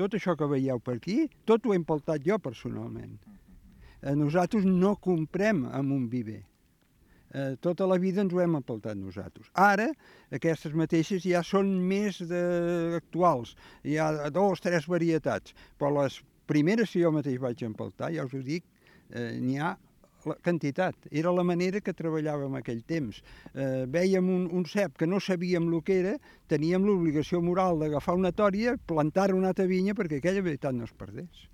Tot això que veieu per aquí, tot ho he empeltat jo personalment. Nosaltres no comprem amb un viver. Tota la vida ens ho hem empeltat nosaltres. Ara, aquestes mateixes ja són més actuals. Hi ha 2 o 3 varietats, però les primeres que jo mateix vaig empeltar, ja us ho dic, n'hi ha la quantitat. Era la manera que treballàvem aquell temps. Vèiem un cep que no sabíem el que era, teníem l'obligació moral d'agafar una tòria, plantar una altra vinya perquè aquella veritat no es perdés.